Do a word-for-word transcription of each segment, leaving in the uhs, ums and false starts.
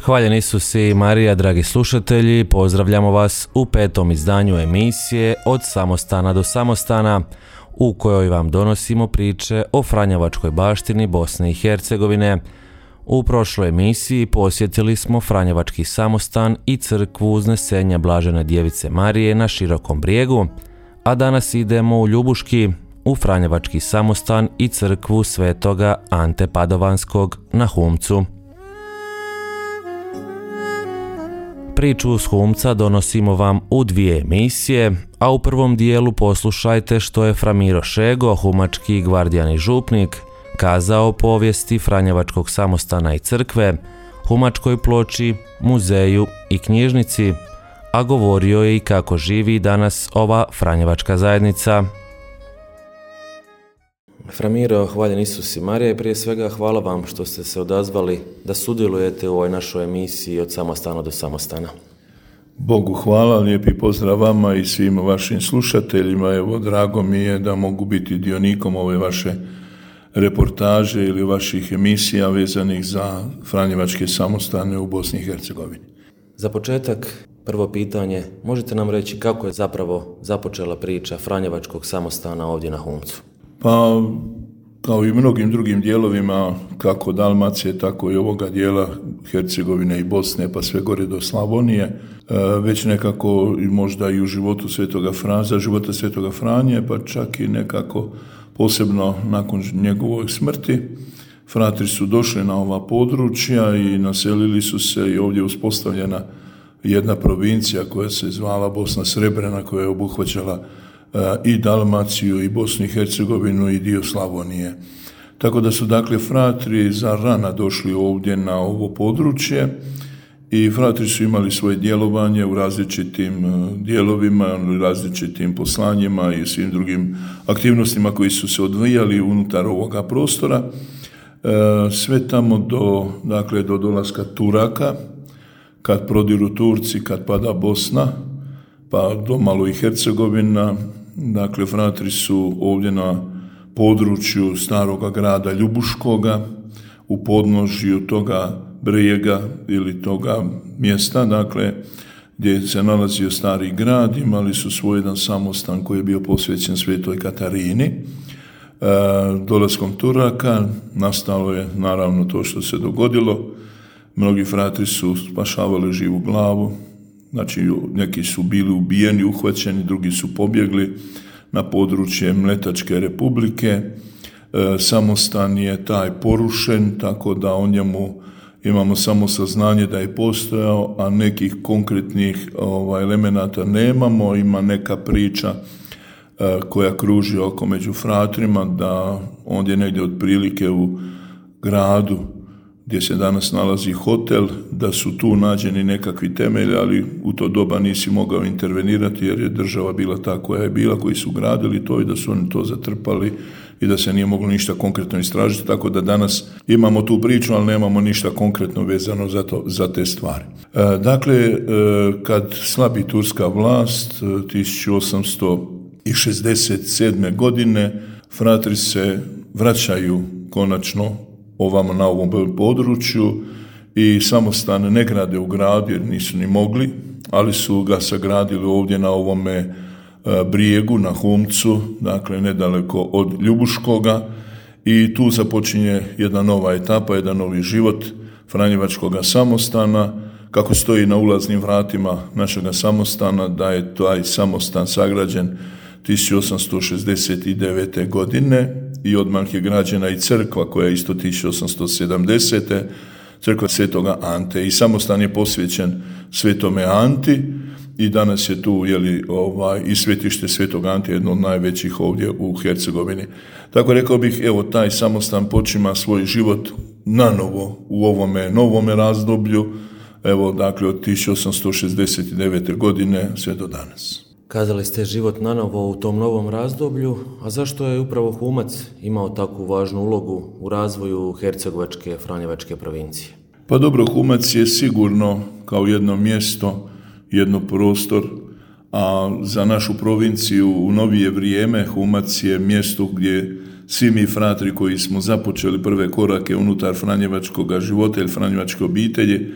Hvaljeni Isus i Marija, dragi slušatelji, pozdravljamo vas u petom izdanju emisije Od samostana do samostana, u kojoj vam donosimo priče o franjevačkoj baštini Bosne i Hercegovine. U prošloj emisiji posjetili smo franjevački samostan i crkvu Uznesenja Blažene Djevice Marije na Širokom brijegu, a danas idemo u Ljubuški, u franjevački samostan i crkvu Svetoga Ante Padovanskog na Humcu. Priču s Humca donosimo vam u dvije emisije, a u prvom dijelu poslušajte što je fra Miro Šego, humački gvardijan i župnik, kazao o povijesti franjevačkog samostana i crkve, humačkoj ploči, muzeju i knjižnici, a govorio je i kako živi danas ova franjevačka zajednica. Fra Miro, hvaljen Isus i Marija, i prije svega hvala vam što ste se odazvali da sudjelujete u ovoj našoj emisiji Od samostana do samostana. Bogu hvala, lijepi pozdrav vama i svim vašim slušateljima. Evo, drago mi je da mogu biti dionikom ove vaše reportaže ili vaših emisija vezanih za franjevačke samostane u Bosni i Hercegovini. Za početak, prvo pitanje, možete nam reći kako je zapravo započela priča franjevačkog samostana ovdje na Humcu? Pa, kao i mnogim drugim dijelovima, kako Dalmacije, tako i ovoga dijela Hercegovine i Bosne, pa sve gore do Slavonije, već nekako i možda i u životu Svetoga Franza, života Svetoga Franje, pa čak i nekako posebno nakon njegove smrti, fratri su došli na ova područja i naselili su se i ovdje uspostavljena jedna provincija koja se zvala Bosna Srebrena, koja je obuhvaćala i Dalmaciju, i Bosnu i Hercegovinu, i dio Slavonije. Tako da su dakle fratri za rana došli ovdje na ovo područje i fratri su imali svoje djelovanje u različitim dijelovima, različitim poslanjima i svim drugim aktivnostima koji su se odvijali unutar ovoga prostora. Sve tamo do, dakle, do dolaska Turaka, kad prodiru Turci, kad pada Bosna, pa do malo i Hercegovina. Dakle, fratri su ovdje na području staroga grada Ljubuškoga, u podnožju toga brijega ili toga mjesta, dakle, gdje se nalazio stari grad, imali su svoj jedan samostan koji je bio posvećen Svetoj Katarini. E, dolaskom Turaka nastalo je naravno to što se dogodilo. Mnogi fratri su spašavali živu glavu. Znači, neki su bili ubijeni, uhvaćeni, drugi su pobjegli na područje Mletačke republike. E, samostan je taj porušen, tako da o njemu imamo samo saznanje da je postojao, a nekih konkretnih ovaj, elemenata nemamo. Ima neka priča e, koja kruži oko među fratrima, da ondje negdje otprilike u gradu gdje se danas nalazi hotel, da su tu nađeni nekakvi temelji, ali u to doba nisi mogao intervenirati jer je država bila ta koja je bila, koji su gradili to i da su oni to zatrpali i da se nije moglo ništa konkretno istražiti, tako da danas imamo tu priču, ali nemamo ništa konkretno vezano za, to, za te stvari. E, dakle, e, kad slabi turska vlast tisuću osamsto šezdeset sedme. godine, fratri se vraćaju konačno ovamo na ovom području i samostan ne grade u gradu jer nisu ni mogli, ali su ga sagradili ovdje na ovome brijegu, na Humcu, dakle nedaleko od Ljubuškoga, i tu započinje jedna nova etapa, jedan novi život franjevačkoga samostana. Kako stoji na ulaznim vratima našega samostana, da je taj samostan sagrađen tisuću osamsto šezdeset devete. godine i odmah je građena i crkva koja je isto tisuću osamsto sedamdesete. crkva Svetoga Ante, i samostan je posvećen Svetome Anti i danas je tu jeli, ovaj, i svetište Svetog Ante, jedno od najvećih ovdje u Hercegovini. Tako rekao bih, evo, taj samostan počima svoj život nanovo u ovome novome razdoblju, evo, dakle, od tisuću osamsto šezdeset devete. godine sve do danas. Kazali ste život nanovo u tom novom razdoblju, a zašto je upravo Humac imao takvu važnu ulogu u razvoju hercegovačke, franjevačke provincije? Pa dobro, Humac je sigurno kao jedno mjesto, jedno prostor, a za našu provinciju u novije vrijeme Humac je mjesto gdje svi mi fratri koji smo započeli prve korake unutar franjevačkog života ili franjevačke obitelji,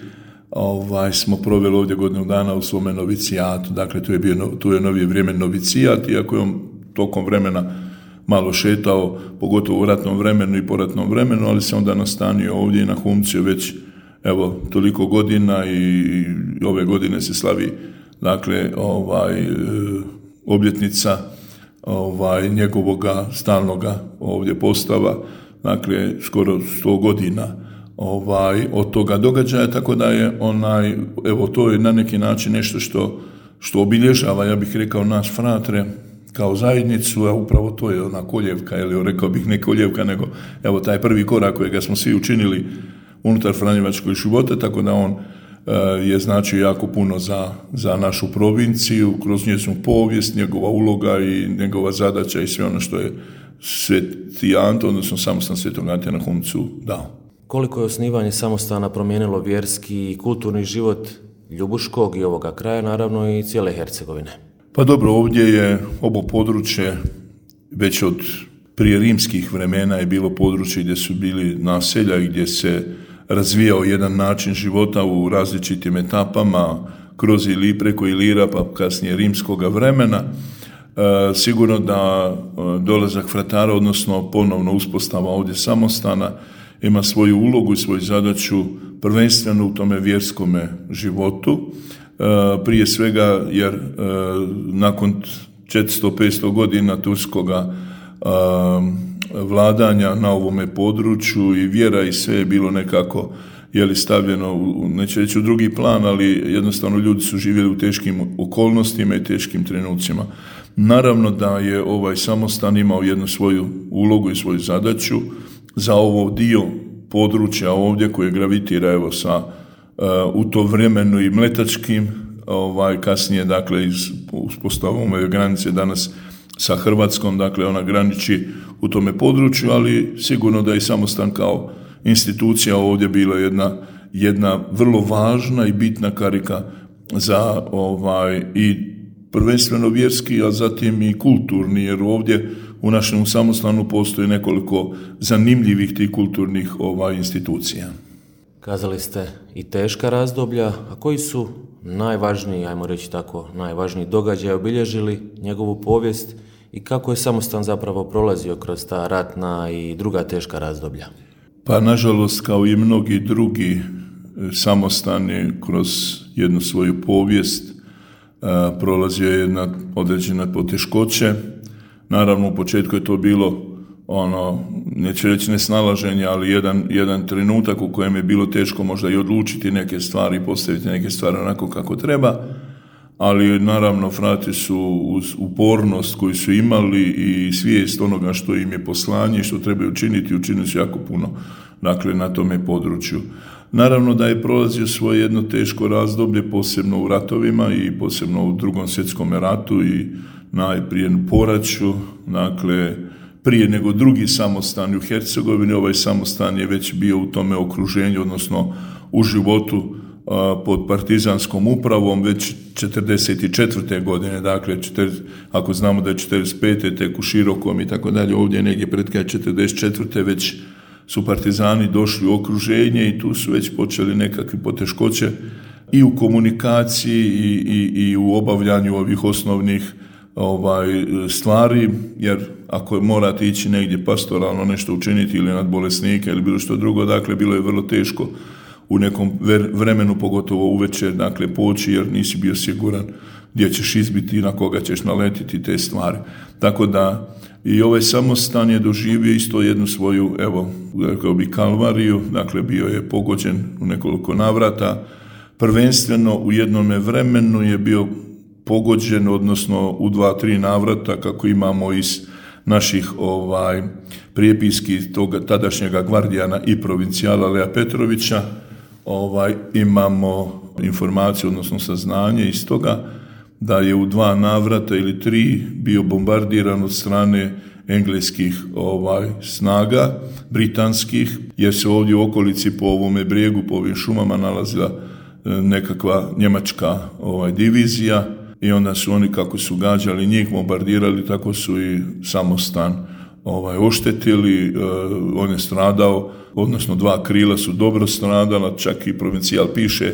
ovaj, smo proveli ovdje godinu dana u svome novicijatu. Dakle, tu je, bio, tu je novije vrijeme novicijat, iako je on tokom vremena malo šetao, pogotovo u ratnom vremenu i poratnom vremenu, ali se onda nastanio ovdje i na Humciju već evo toliko godina i, i ove godine se slavi dakle ovaj obljetnica ovaj njegovoga stalnoga ovdje postava, dakle skoro sto godina ovaj od toga događaja, tako da je onaj evo to je na neki način nešto što što obilježava, ja bih rekao, naš Fratre kao zajednicu, a upravo to je ona koljevka, ili rekao bih ne koljevka, nego evo taj prvi korak kojega smo svi učinili unutar franjevačkog života, tako da on e, je značio jako puno za, za našu provinciju, kroz njezinu povijest, njegova uloga i njegova zadaća i sve ono što je Sveti Anto, odnosno samostan Svetog Ante na Humcu dao. Koliko je osnivanje samostana promijenilo vjerski i kulturni život Ljubuškog i ovoga kraja, naravno i cijele Hercegovine? Pa dobro, ovdje je ovo područje već od prije rimskih vremena je bilo područje gdje su bili naselja i gdje se razvijao jedan način života u različitim etapama kroz ili preko Ilira pa kasnije rimskoga vremena. E, sigurno da dolazak fratara, odnosno ponovno uspostava ovdje samostana, ima svoju ulogu i svoju zadaću prvenstveno u tome vjerskome životu. E, prije svega jer e, nakon četiristo do petsto godina turskoga e, vladanja na ovome području i vjera i sve je bilo nekako je li stavljeno, u, neću reći u drugi plan, ali jednostavno ljudi su živjeli u teškim okolnostima i teškim trenucima. Naravno da je ovaj samostan imao jednu svoju ulogu i svoju zadaću za ovo dio područja ovdje koje gravitira evo sa uh, u to vremenu i mletačkim, ovaj, kasnije dakle iz uspostavom ove granice danas sa Hrvatskom, dakle ona graniči u tome području, ali sigurno da je samostan kao institucija ovdje bila jedna, jedna vrlo važna i bitna karika za ovaj i prvenstveno vjerski, a zatim i kulturni, jer ovdje u našem samostanu postoji nekoliko zanimljivih tih kulturnih ovaj, institucija. Kazali ste i teška razdoblja, a koji su najvažniji, ajmo reći tako, najvažniji događaj obilježili njegovu povijest i kako je samostan zapravo prolazio kroz ta ratna i druga teška razdoblja? Pa nažalost, kao i mnogi drugi samostani kroz jednu svoju povijest a, prolazio je jedna određena poteškoće. Naravno, u početku je to bilo ono, neću reći nesnalaženje, ali jedan, jedan trenutak u kojem je bilo teško možda i odlučiti neke stvari i postaviti neke stvari onako kako treba, ali naravno frati su uz upornost koju su imali i svijest onoga što im je poslanje i što trebaju učiniti, učinili su jako puno, dakle, na tome području. Naravno da je prolazio svoje jedno teško razdoblje, posebno u ratovima i posebno u Drugom svjetskom ratu i najprije u poraću, dakle, prije nego drugi samostan u Hercegovini, ovaj samostan je već bio u tome okruženju, odnosno u životu a, pod partizanskom upravom već četrdeset četvrte godine, dakle, četrdeset, ako znamo da je četrdeset pete tek u Širokom i tako dalje, ovdje negdje pred kraj četrdeset četvrte već su partizani došli u okruženje i tu su već počeli nekakve poteškoće i u komunikaciji i, i, i u obavljanju ovih osnovnih ovaj stvari, jer ako morate ići negdje pastoralno nešto učiniti ili nad bolesnike ili bilo što drugo, dakle bilo je vrlo teško u nekom vremenu, pogotovo uvečer, dakle poći jer nisi bio siguran gdje ćeš izbiti i na koga ćeš naletiti te stvari. Tako da i ovaj samostan je doživio isto jednu svoju, evo, rekao bi kalvariju, dakle bio je pogođen u nekoliko navrata, prvenstveno u jednome vremenu je bio pogođen, odnosno u dva, tri navrata, kako imamo iz naših ovaj prijepiski toga tadašnjega gvardijana i provincijala Lea Petrovića, ovaj imamo informaciju, odnosno saznanje iz toga da je u dva navrata ili tri bio bombardiran od strane engleskih ovaj snaga, britanskih, jer se ovdje u okolici po ovome brijegu, po ovim šumama nalazila nekakva njemačka ovaj divizija i onda su oni, kako su gađali njih, bombardirali, tako su i samostan ovaj, oštetili, on je stradao, odnosno dva krila su dobro stradala, čak i provincijal piše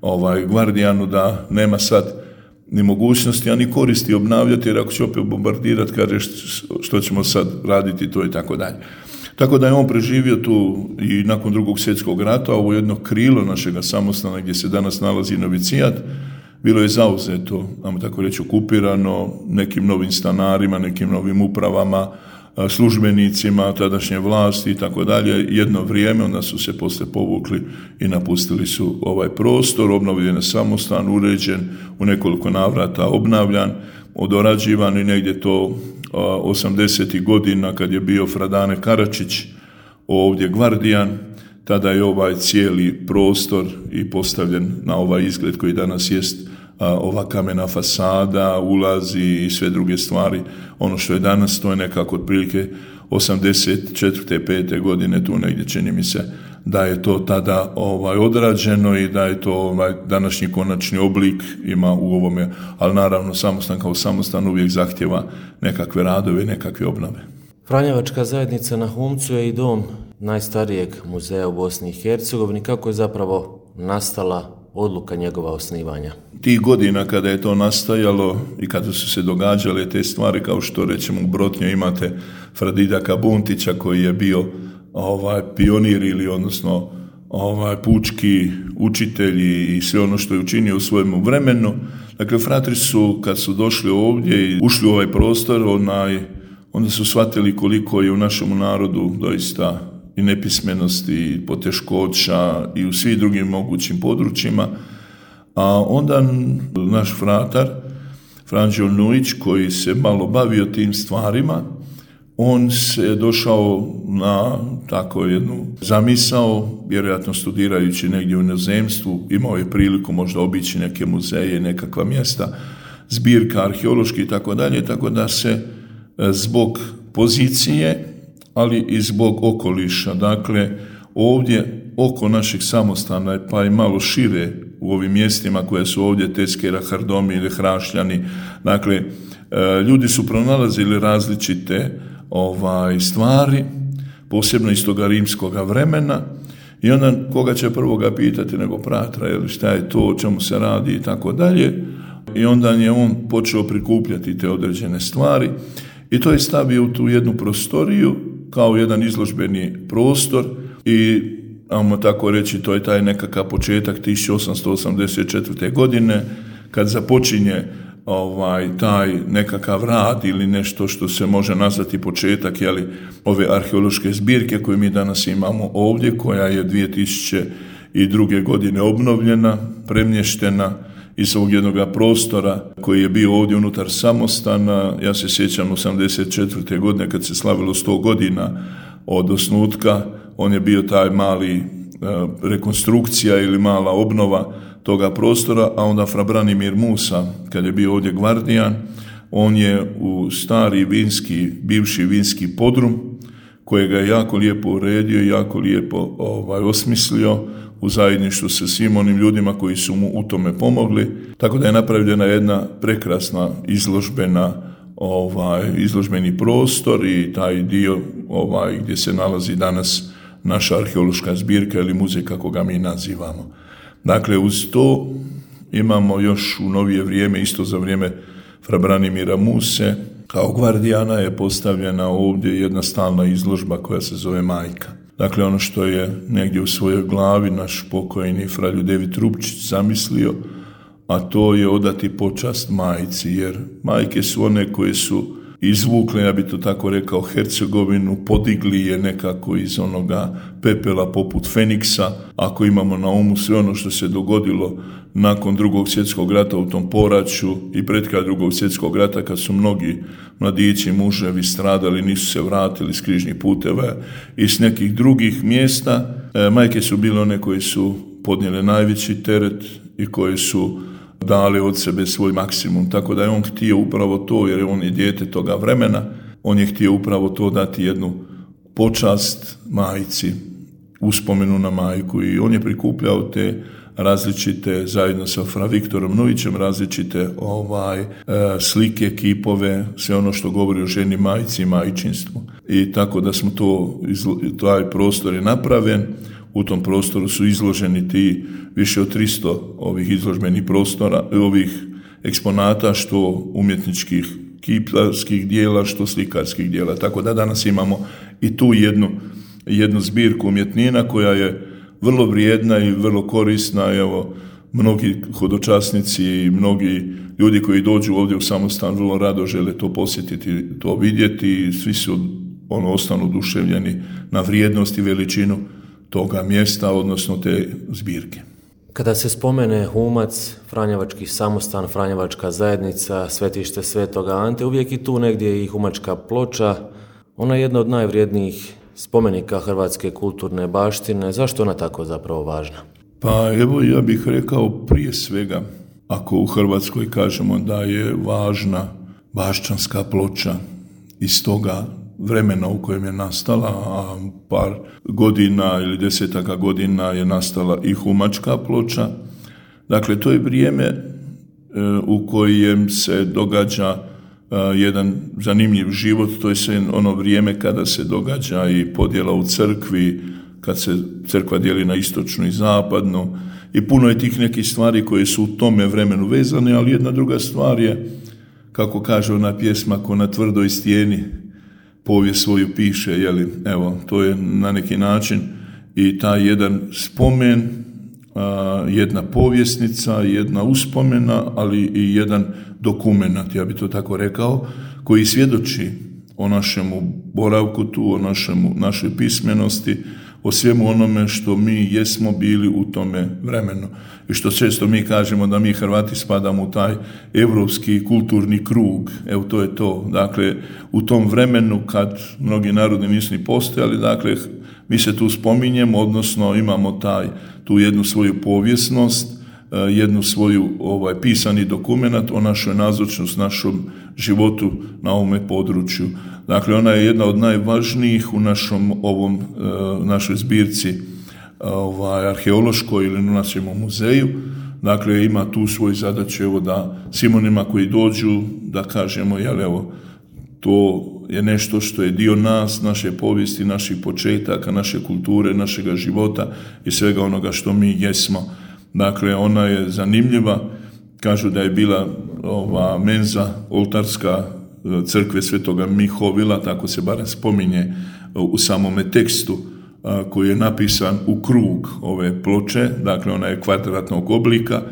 ovaj, Gvardijanu da nema sad ni mogućnosti, a ni koristi obnavljati, jer ako će opet bombardirati, kaže što ćemo sad raditi, to i tako dalje. Tako da je on preživio tu i nakon drugog svjetskog rata, ovo jedno krilo našega samostana gdje se danas nalazi novicijat, bilo je zauzeto, ajmo tako reći, okupirano nekim novim stanarima, nekim novim upravama, službenicima tadašnje vlasti i tako dalje. Jedno vrijeme, onda su se poslije povukli i napustili su ovaj prostor, obnovljen je samostan, uređen, u nekoliko navrata obnavljan, odorađivan i negdje to osamdesetih godina kad je bio Fradane Karačić ovdje Gvardijan, tada je ovaj cijeli prostor i postavljen na ovaj izgled koji danas jest, ova kamena fasada, ulazi i sve druge stvari. Ono što je danas, to je nekako otprilike osamdeset četvrte pete godine, tu negdje čini mi se da je to tada ovaj odrađeno i da je to ovaj današnji konačni oblik ima u ovome, ali naravno samostan kao samostan uvijek zahtjeva nekakve radove, nekakve obnove. Franjevačka zajednica na Humcu je i dom najstarijeg muzeja u Bosni i Hercegovini. Kako je zapravo nastala odluka njegova osnivanja? Tih godina kada je to nastajalo i kada su se događale te stvari, kao što rećemo u Brotnju imate Fradidaka Buntića koji je bio ovaj pionir ili odnosno ovaj pučki učitelj i sve ono što je učinio u svojemu vremenu. Dakle, fratri su kad su došli ovdje i ušli u ovaj prostor, onaj, onda su shvatili koliko je u našem narodu doista i nepismenosti, i poteškoća i u svim drugim mogućim područjima. A onda naš fratar, Franđo Nujić, koji se malo bavio tim stvarima, on se došao na tako jednu zamisao, vjerojatno studirajući negdje u inozemstvu, imao je priliku možda obići neke muzeje, nekakva mjesta, zbirka arheološki i tako dalje, tako da se zbog pozicije, ali i zbog okoliša, dakle ovdje oko naših samostana, pa i malo šire u ovim mjestima koje su ovdje Teskera, Hardomi ili Hrašljani, dakle ljudi su pronalazili različite ovaj stvari, posebno iz toga rimskoga vremena, i onda koga će prvoga pitati nego pratra, jel, šta je to, o čemu se radi i tako dalje, i onda je on počeo prikupljati te određene stvari i to je stavio u tu jednu prostoriju kao jedan izložbeni prostor i, ajmo tako reći, to je taj nekakav početak tisuću osamsto osamdeset četvrte godine kad započinje ovaj taj nekakav rad ili nešto što se može nazvati početak, jeli, ove arheološke zbirke koje mi danas imamo ovdje, koja je dvije tisuće druge. godine obnovljena, premještena iz ovog jednog prostora koji je bio ovdje unutar samostana. Ja se sjećam osamdeset četvrte. godine kad se slavilo sto godina od osnutka, on je bio taj mali rekonstrukcija ili mala obnova toga prostora, a onda fra Branimir Musa, kad je bio ovdje Gvardijan, on je u stari vinski, bivši vinski podrum, kojega je jako lijepo uredio i jako lijepo ovaj, osmislio u zajedništvu sa svim onim ljudima koji su mu u tome pomogli, tako da je napravljena jedna prekrasna izložbena ovaj, izložbeni prostor i taj dio ovaj, gdje se nalazi danas naša arheološka zbirka ili muzej kako ga mi nazivamo. Dakle, uz to imamo još u novije vrijeme, isto za vrijeme fra Branimira Muse, kao Gvardijana je postavljena ovdje jedna stalna izložba koja se zove Majka. Dakle, ono što je negdje u svojoj glavi naš pokojni fra Ljudevit Rupčić zamislio, a to je odati počast majci, jer majke su one koje su izvukle, ja bi to tako rekao, Hercegovinu, podigli je nekako iz onoga pepela poput Feniksa, ako imamo na umu sve ono što se dogodilo nakon drugog svjetskog rata u tom poraću i pred kraj drugog svjetskog rata, kad su mnogi mladići, muževi stradali, nisu se vratili s križnih puteva i s nekih drugih mjesta. E, majke su bile one koje su podnijele najveći teret i koje su dali od sebe svoj maksimum, tako da je on htio upravo to, jer on je dijete toga vremena, on je htio upravo to dati jednu počast majci, uspomenu na majku, i on je prikupljao te različite, zajedno sa fra Viktorom Novićem, različite ovaj, e, slike, kipove, sve ono što govori o ženi, majci i majčinstvu. I tako da smo to, taj prostor je napravljen. U tom prostoru su izloženi ti više od tristo ovih izložbenih prostora, ovih eksponata, što umjetničkih kiparskih dijela, što slikarskih dijela. Tako da danas imamo i tu jednu, jednu zbirku umjetnina koja je vrlo vrijedna i vrlo korisna. Evo, mnogi hodočasnici i mnogi ljudi koji dođu ovdje u Samostan vrlo rado žele to posjetiti, to vidjeti i svi su ono ostanu oduševljeni na vrijednost i veličinu toga mjesta, odnosno te zbirke. Kada se spomene Humac, Franjevački Samostan, Franjevačka zajednica, Svetište Svetoga Ante, uvijek i tu negdje i Humačka ploča. Ona je jedna od najvrijednijih spomenika hrvatske kulturne baštine. Zašto je ona tako zapravo važna? Pa evo, ja bih rekao prije svega, ako u Hrvatskoj kažemo da je važna Baščanska ploča iz toga vremena u kojem je nastala, a par godina ili desetaka godina je nastala i Humačka ploča. Dakle, to je vrijeme e, u kojem se događa e, jedan zanimljiv život. To je sve ono vrijeme kada se događa i podjela u crkvi, kad se crkva dijeli na istočnu i zapadnu, i puno je tih nekih stvari koje su u tome vremenu vezane, ali jedna druga stvar je, kako kaže ona pjesma, ko na tvrdoj stijeni povijest svoju piše, jeli, evo, to je na neki način i taj jedan spomen, a, jedna povjesnica, jedna uspomena, ali i jedan dokumenat, ja bi to tako rekao, koji svjedoči o našemu boravku tu, o našemu, našoj pismenosti, o svemu onome što mi jesmo bili u tome vremenu. I što često mi kažemo da mi Hrvati spadamo u taj europski kulturni krug. Evo, to je to. Dakle, u tom vremenu kad mnogi narodi nisu ni postojali, dakle, mi se tu spominjemo, odnosno imamo taj, tu jednu svoju povijesnost, jednu svoju ovaj, pisani dokumenat o našoj nazočnosti, našom životu na ovome području. Dakle, ona je jedna od najvažnijih u našom ovom, našoj zbirci ovaj, arheološkoj ili na našem muzeju. Dakle, ima tu svoju zadaću, evo, da svim onima koji dođu, da kažemo, jel, evo, to je nešto što je dio nas, naše povijesti, naših početaka, naše kulture, našega života i svega onoga što mi jesmo. Dakle, ona je zanimljiva. Kažu da je bila ova menza oltarska crkve Svetoga Mihovila, tako se barem spominje u samome tekstu koji je napisan u krug ove ploče. Dakle, ona je kvadratnog oblika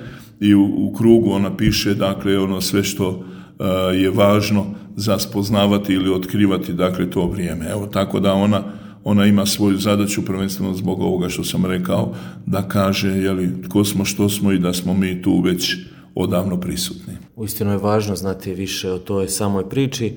i u, u krugu ona piše, dakle, ono sve što je važno za spoznavati ili otkrivati, dakle, to vrijeme. Evo, tako da ona Ona ima svoju zadaću, prvenstveno zbog ovoga što sam rekao, da kaže, jeli, tko smo, što smo i da smo mi tu već odavno prisutni. Uistinu je važno znati više o toj samoj priči,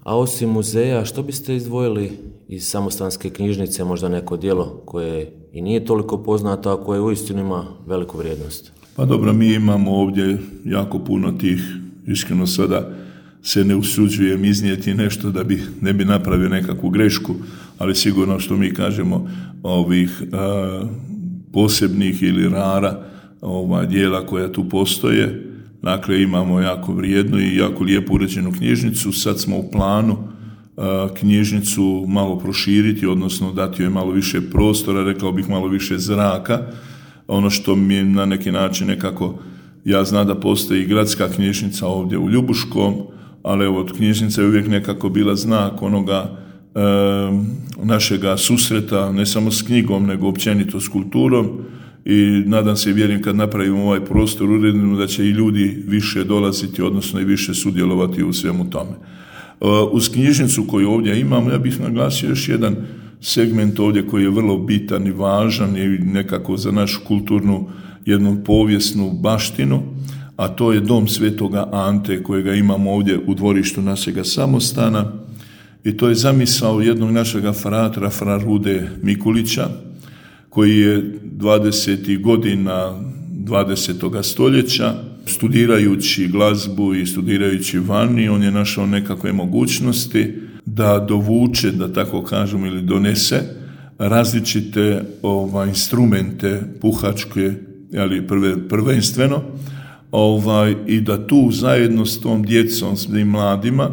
a osim muzeja, što biste izdvojili iz Samostanske knjižnice, možda neko djelo koje i nije toliko poznato, a koje uistinu ima veliku vrijednost? Pa dobro, mi imamo ovdje jako puno tih, iskreno sada se ne usuđujem iznijeti nešto da bi ne bi napravio nekakvu grešku, ali sigurno što mi kažemo ovih a, posebnih ili rara ova dijela koja tu postoje. Dakle, imamo jako vrijednu i jako lijepo uređenu knjižnicu. Sad smo u planu a, knjižnicu malo proširiti, odnosno dati joj malo više prostora, rekao bih malo više zraka. Ono što mi je na neki način nekako, ja znam da postoji gradska knjižnica ovdje u Ljubuškom, ali evo, knjižnica je uvijek nekako bila znak onoga e, našega susreta, ne samo s knjigom, nego općenito s kulturom, i nadam se i vjerujem kad napravimo ovaj prostor uredno da će i ljudi više dolaziti, odnosno i više sudjelovati u svemu tome. E, uz knjižnicu koju ovdje imamo, ja bih naglasio još jedan segment ovdje koji je vrlo bitan i važan i nekako za našu kulturnu, jednu povijesnu baštinu, a to je dom Svetoga Ante kojega imamo ovdje u dvorištu našega Samostana, i to je zamisao jednog našega fratra, fra Rude Mikulića, koji je dvadesetih godina dvadesetoga stoljeća, studirajući glazbu i studirajući vani, on je našao nekakve mogućnosti da dovuče, da tako kažemo, ili donese različite ova, instrumente puhačke jeli, prve, prvenstveno, ovaj, i da tu zajedno s tom djecom, s tim mladima,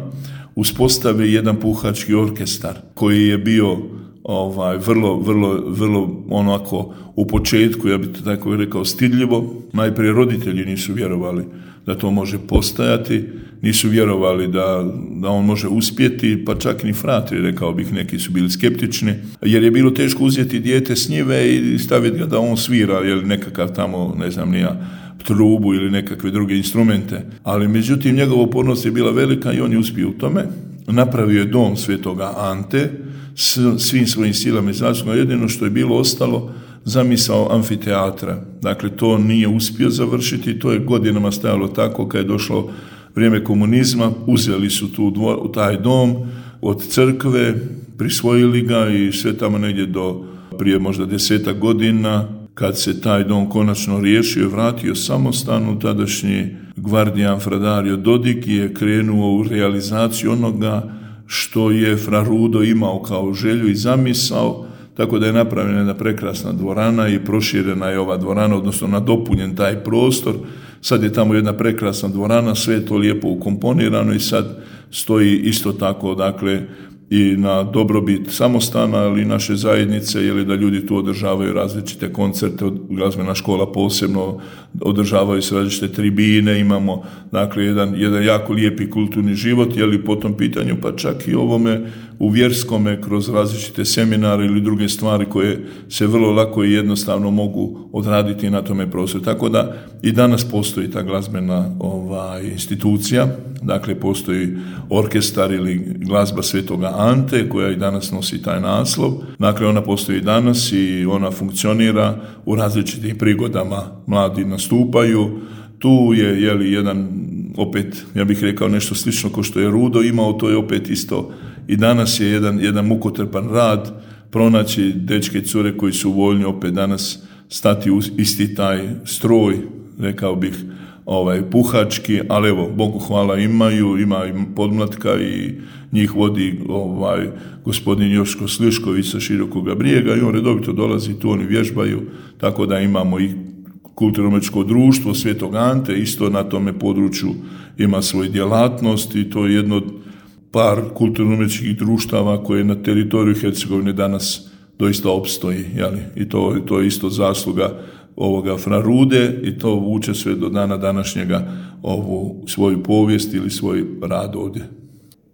uspostave jedan puhački orkestar koji je bio ovaj, vrlo, vrlo, vrlo onako u početku, ja bih to tako rekao, stidljivo. Najprije roditelji nisu vjerovali da to može postajati, nisu vjerovali da, da on može uspjeti, pa čak ni fratri, rekao bih, neki su bili skeptični, jer je bilo teško uzeti dijete s njive i staviti ga da on svira, ili nekakav tamo, ne znam ni ja, trubu ili nekakve druge instrumente. Ali međutim, njegova upornost je bila velika i on je uspio u tome. Napravio je dom Svetoga Ante s svim svojim silama i zaslugama. Jedino što je bilo ostalo, zamisao amfiteatra. Dakle, to nije uspio završiti, to je godinama stajalo tako. Kad je došlo vrijeme komunizma, uzeli su tu dvo, taj dom od crkve, prisvojili ga i sve tamo negdje do prije možda desetak godina, kad se taj dom konačno riješio i vratio samostanu, tadašnji gvardijan Fra Dario Dodig je krenuo u realizaciju onoga što je Fra Rudo imao kao želju i zamisao, tako da je napravljena jedna prekrasna dvorana i proširena je ova dvorana, odnosno nadopunjen taj prostor. Sad je tamo jedna prekrasna dvorana, sve je to lijepo ukomponirano i sad stoji isto tako, dakle, i na dobrobit samostana, ali i naše zajednice, jer da ljudi tu održavaju različite koncerte, glazbena škola posebno održavaju se različite tribine, imamo dakle jedan, jedan jako lijepi kulturni život, je li po tom pitanju, pa čak i ovome u vjerskome kroz različite seminare ili druge stvari koje se vrlo lako i jednostavno mogu odraditi na tome prostoru. Tako da i danas postoji ta glazbena ovaj, institucija, dakle postoji orkestar ili glazba Svetoga Ante koja i danas nosi taj naslov. Dakle, ona postoji danas i ona funkcionira u različitim prigodama, mladi nastupaju. Tu je, je li, jedan, opet, ja bih rekao nešto slično kao što je Rudo imao, to je opet isto. I danas je jedan, jedan mukotrpan rad, pronaći dečke i cure koji su voljni opet danas stati u isti taj stroj, rekao bih, ovaj, puhački, ali evo, Bogu hvala imaju, ima i podmlatka i njih vodi ovaj, gospodin Joško Slišković sa Širokoga Brijega i on redovito dolazi tu, oni vježbaju, tako da imamo i kulturno-umjetničko društvo Svetog Ante, isto na tome području ima svoju djelatnost i to je jedno od par kulturno-umjetničkih društava koje na teritoriju Hercegovine danas doista opstoji, jeli? I to, to je isto zasluga ovoga Fra Rude i to vuče sve do dana današnjega ovu svoju povijest ili svoj rad ovdje.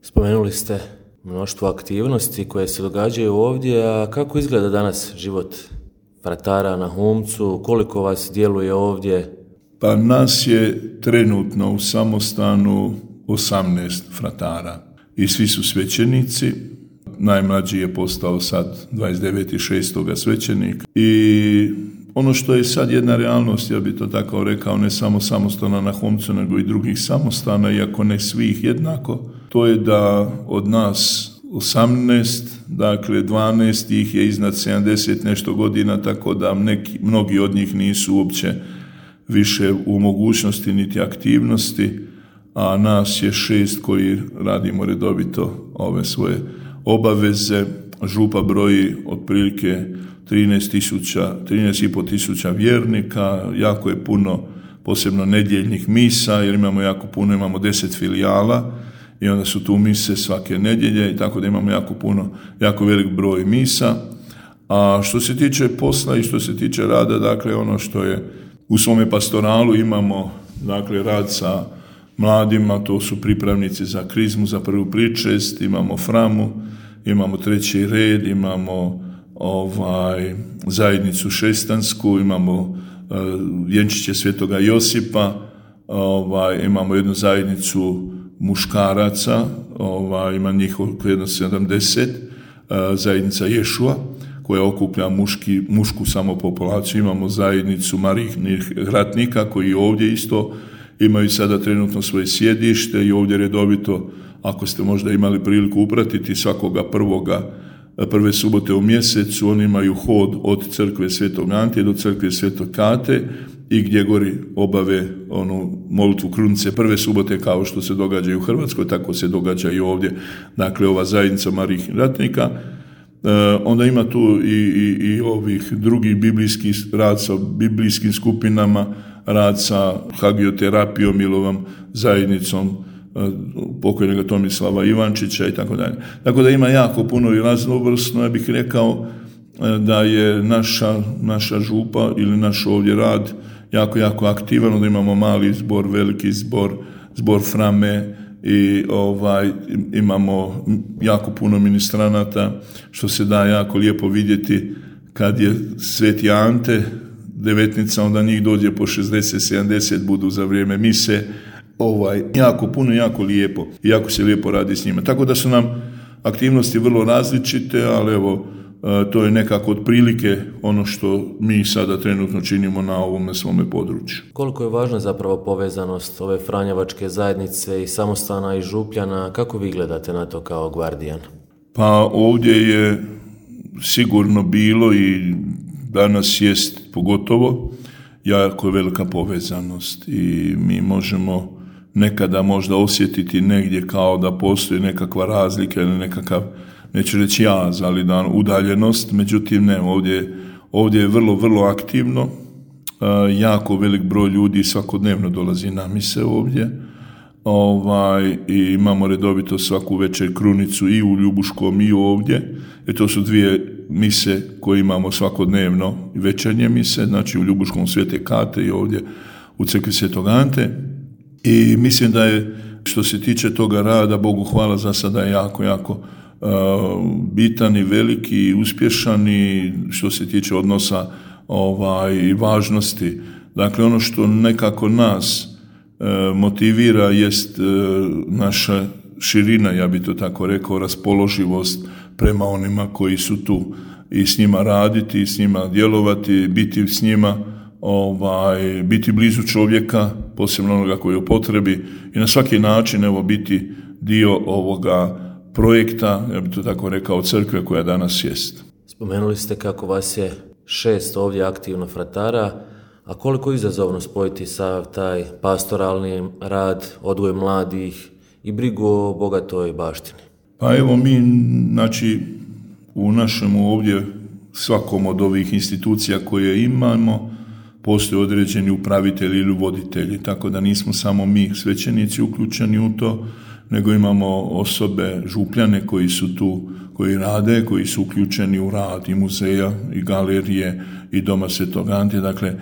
Spomenuli ste mnoštvo aktivnosti koje se događaju ovdje, a kako izgleda danas život fratara na Humcu, koliko vas djeluje ovdje? Pa nas je trenutno u samostanu osamnaest fratara i svi su svećenici. Najmlađi je postao sad dvadeset devetog šestog svećenik i ono što je sad jedna realnost, ja bih to tako rekao, ne samo samostana na Humcu, nego i drugih samostana, iako ne svih jednako, to je da od nas osamnaest, dakle dvanaest ih je iznad sedamdeset nešto godina, tako da neki, mnogi od njih nisu uopće više u mogućnosti niti aktivnosti, a nas je šest koji radimo redovito ove svoje obaveze. Župa broji otprilike trinaest tisuća, trinaest i pol tisuća vjernika, jako je puno posebno nedjeljnih misa, jer imamo jako puno, imamo deset filijala i onda su tu mise svake nedjelje i tako da imamo jako puno, jako velik broj misa. A što se tiče posla i što se tiče rada, dakle ono što je u svome pastoralu imamo, dakle rad sa mladima, to su pripravnici za krizmu, za prvu pričest, imamo framu, imamo treći red, imamo ovaj, zajednicu šestansku, imamo uh, vjenčiće Svetoga Josipa, ovaj, imamo jednu zajednicu muškaraca, ovaj, ima njih oko jedno sedamdeset, uh, zajednica Ješua, koja okuplja muški, mušku samopopulaciju, imamo zajednicu Marijnih ratnika koji ovdje isto imaju sada trenutno svoje sjedište i ovdje redovito, ako ste možda imali priliku upratiti, svakoga prvoga, prve subote u mjesecu, oni imaju hod od crkve Svetog Antije do crkve Svetog Kate i gdje gori obave onu molitvu krunice prve subote kao što se događa i u Hrvatskoj, tako se događa i ovdje. Dakle, ova zajednica Marijnih ratnika Onda ima tu i, i, i ovih drugih biblijskih rad sa biblijskim skupinama, rad sa hagioterapijom ili ovom zajednicom pokojnog Tomislava Ivančića i tako dalje. Tako da ima jako puno i raznovrsno. Ja bih rekao da je naša, naša župa ili naš ovdje rad jako, jako aktivan, da imamo mali zbor, veliki zbor, zbor Frame i ovaj, imamo jako puno ministranata, što se da jako lijepo vidjeti kad je Sveti Ante devetnica, onda njih dođe po šezdeset sedamdeset budu za vrijeme mise, ovaj, jako puno, jako lijepo i jako se lijepo radi s njima. Tako da su nam aktivnosti vrlo različite, ali evo, to je nekako otprilike ono što mi sada trenutno činimo na ovome svome području. Koliko je važna zapravo povezanost ove franjevačke zajednice i samostana i župljana? Kako vi gledate na to kao gvardijan? Pa ovdje je sigurno bilo i danas jest pogotovo jako velika povezanost i mi možemo nekada možda osjetiti negdje kao da postoji nekakva razlika ili nekakav, neću reći jaz, ali da udaljenost, međutim ne, ovdje, ovdje je vrlo, vrlo aktivno, jako velik broj ljudi svakodnevno dolazi na mise ovdje, ovaj, i imamo redovito svaku večer krunicu i u Ljubuškom i ovdje, jer to su dvije mise koje imamo svakodnevno, večernje mise, znači u Ljubuškom Svete Kate i ovdje u crkvi Svetog Ante. I mislim da je, što se tiče toga rada, Bogu hvala, za sada je jako, jako uh, bitan i veliki i uspješan i što se tiče odnosa ovaj, i važnosti. Dakle, ono što nekako nas uh, motivira jest uh, naša širina, ja bi to tako rekao, raspoloživost prema onima koji su tu i s njima raditi, i s njima djelovati, biti s njima, ovaj, biti blizu čovjeka, posebno onoga koji je u potrebi i na svaki način evo biti dio ovoga projekta, ja bih to tako rekao, crkve koja danas jest. Spomenuli ste kako vas je šest ovdje aktivno fratara, a koliko je izazovno spojiti sav taj pastoralni rad, odgoj mladih i brigu o bogatoj baštini? Pa evo mi, znači, u našem ovdje svakom od ovih institucija koje imamo postoje određeni upravitelji ili voditelji, tako da nismo samo mi svećenici uključeni u to, nego imamo osobe, župljane koji su tu, koji rade, koji su uključeni u rad i muzeja i galerije i Doma Svetog Ante. Dakle, e,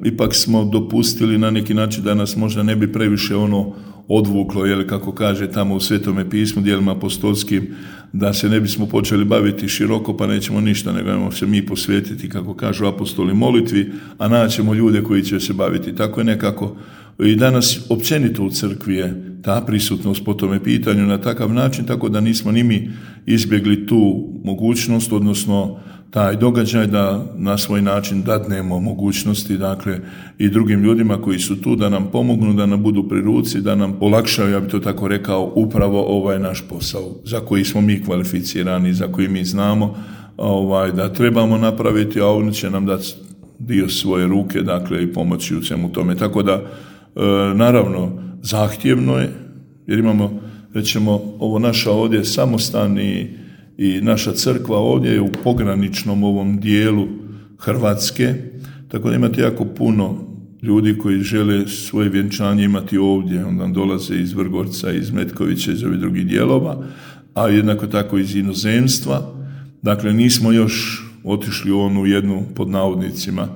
ipak smo dopustili na neki način da nas možda ne bi previše ono odvuklo, jel, kako kaže tamo u Svetome pismu, dijelima apostolskim, da se ne bismo počeli baviti široko, pa nećemo ništa, nego ćemo se mi posvetiti, kako kažu apostoli, molitvi, a naćemo ljude koji će se baviti. Tako je nekako i danas općenito u crkvi je ta prisutnost po tome pitanju na takav način, tako da nismo ni mi izbjegli tu mogućnost, odnosno taj događaj da na svoj način dadnemo mogućnosti, dakle, i drugim ljudima koji su tu da nam pomognu, da nam budu pri ruci, da nam olakšaju, ja bih to tako rekao, upravo ovaj naš posao za koji smo mi kvalificirani, za koji mi znamo ovaj, da trebamo napraviti, a oni će nam dati dio svoje ruke, dakle, i pomoći u svemu tome. Tako da, e, naravno, zahtjevno je, jer imamo, rećemo, ovo naša ovdje samostani i naša crkva ovdje je u pograničnom ovom dijelu Hrvatske, tako da imate jako puno ljudi koji žele svoje vjenčanje imati ovdje, onda dolaze iz Vrgorca, iz Metkovića, iz ovih drugih dijelova, a jednako tako iz inozemstva. Dakle, nismo još otišli u onu jednu, pod navodnicima,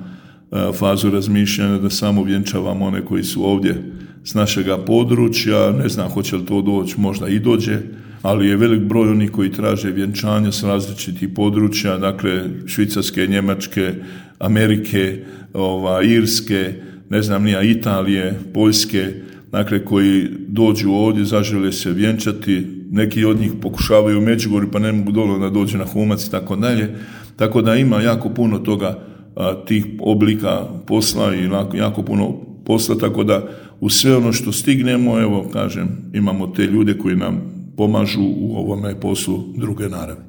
fazu razmišljanja da samo vjenčavamo one koji su ovdje s našega područja. Ne znam hoće li to doći, možda i dođe, ali je velik broj onih koji traže vjenčanja s različitih područja, dakle Švicarske, Njemačke, Amerike, ova, Irske, ne znam nija, Italije, Poljske, dakle koji dođu ovdje, zažele se vjenčati, neki od njih pokušavaju u Međugorju pa ne mogu dole da dođu na Humac i tako dalje, tako da ima jako puno toga, a, tih oblika posla i jako puno posla, tako da u sve ono što stignemo, evo kažem, imamo te ljude koji nam pomažu u ovome poslu druge naravi.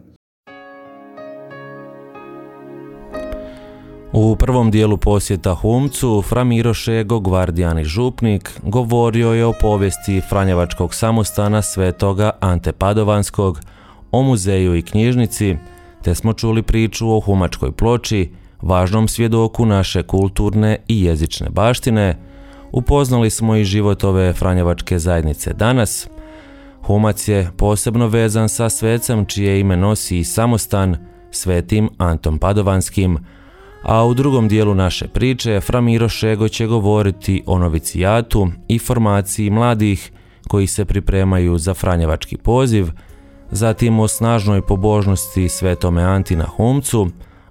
U prvom dijelu posjeta Humcu, fra Miro Šego, gvardijan i župnik, govorio je o povijesti Franjevačkog samostana Svetoga Ante Padovanskog, o muzeju i knjižnici te smo čuli priču o Humačkoj ploči, važnom svjedoku naše kulturne i jezične baštine. Upoznali smo i život ove franjevačke zajednice danas. Humac je posebno vezan sa svecem čije ime nosi i samostan, svetim Antom Padovanskim, a u drugom dijelu naše priče Fra Miro Šego će govoriti o novicijatu i formaciji mladih koji se pripremaju za franjevački poziv, zatim o snažnoj pobožnosti svetome Anti na Humcu,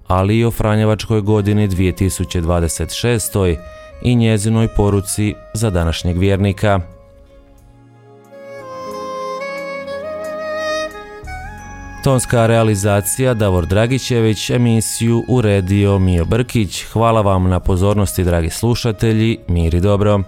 ali i o franjevačkoj godini dvije tisuće dvadeset šeste. i njezinoj poruci za današnjeg vjernika. Tonska realizacija Davor Dragićević, emisiju uredio Mio Brkić. Hvala vam na pozornosti, dragi slušatelji, mir i dobro.